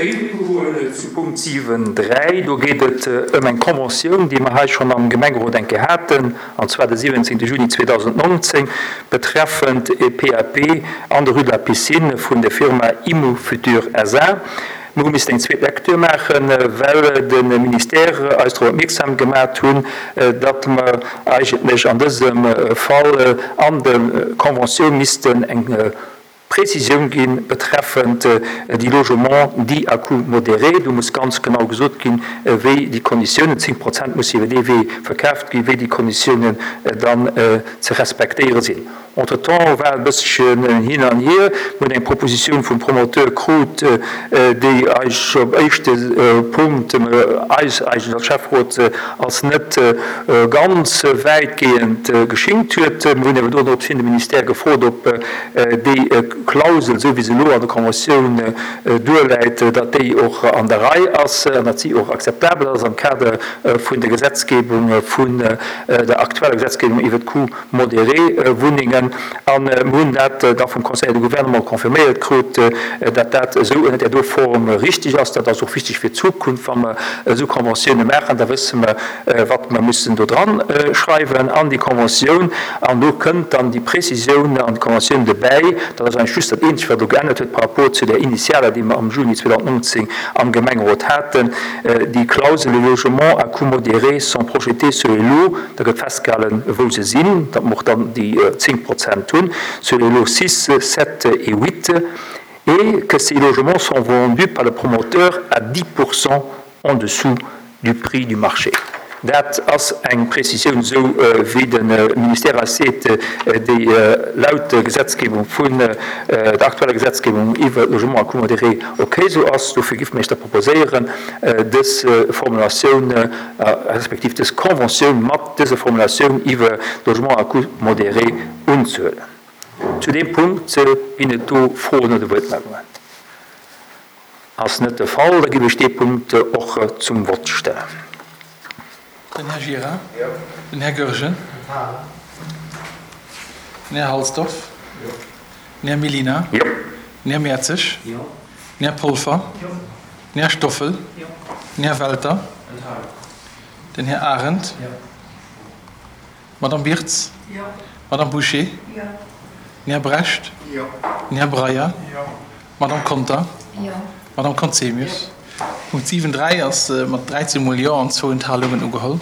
Eriwwergoen zu Punkt 7, 3. Do geet et ëm eng Conventioun, déi mer hei schonn am Gemengerot eng Kéier haten, an zwar de 17. Juni 2019, betreffend e PAP an der Rue de la Piscine vun der Firma Immofutur SA. Mir hu missten eng zweet Lecture maachen, well de Ministère eis drop opmierksam gemat hunn, datt mer eigentlech an dësem Fall an der Conventioun missten eng Prezisioun gi betreffend déi Logements dits à coût modéré. Do muss ganz genau gesot ginn, wéi déi Konditiounen, 10 Prozent musse iwwer dee Wee verkaaft ginn, wéi déi Konditiounen dann ze respektéiere sinn. Entretemps war e bësselchen hin an hier. Mir hunn eng Propositioun vum Promoteur krut, déi eis op éischte Punkt, eis eigentlech als Schäfferot, als net ganz wäitgehend geschingt huet. Mir hunn awer doropshin de Ministère gefrot, ob déi Klausel, esou wéi se elo an der Conventioun duerläit, datt déi och an der Rei ass an datt si och akzeptabel ass am Kader vun der Gesetzgebung, vun der aktueller Gesetzgebung iwwert d'Coûts modéré Wunnengen. A mir hunn dat da vum Conseil de Gouvernement confirméiert krut, datt dat esou ënnert där do Form richtig ass. Dat ass och wichteg fir d'Zukunft, wa mer esou Conventioune maachen, da wësse mer, wat mer mussen do dran schreiwen an déi Conventioun. An do kënnt dann déi Précisioun an d'Conventioun dobäi. Dat ass eigentlech just dat Eenzegt, wat elo geännert huet par rapport zu där initialer, déi mer am Juni 2019 am Gemengerot haten, déi Klausel, Les logements à coût modéré sont projetés sur les lots. Da gëtt festgehalen, wou se sinn, datt mer och dann déi 10 Prozent hunn, sur les lots 6, 7 et 8, et que ces logements sont vendus par le promoteur à 10 pour cent en dessous du prix du marché. Dat ass eng Prezisioun, esou wéi de Ministère eis seet, déi laut der Gesetzgebung vun der aktueller Gesetzgebung iwwer d'Logements à coût modéré ok esou ass. Dofir géife mir Iech da proposéieren, dës Formulatioun respektiv dës Conventioun mat dëser Formulatioun iwwer Logement à coût modéré unzehuelen. Zu deem Punkt ginn et do Froen oder Wuertmeldungen? Ass net de Fall, da géif ech dee Punkt och zum Vott stellen. Den Här Gira. Den Här Goergen. Den Här Halsdorf. Den Här Mellina. Den Här Mertzig. Den Här Polfer. Den Här Stoffel. Den Här Welter. Den Här Arendt. D'Madame Wirtz. D'Madame Bouché. Den Här Brecht. Den Här Breyer. D'Madame Conter. D'Madame Conzemius. Punkt 7, 3 ass mat 13 mol Jo an zwou Enthalungen ugeholl.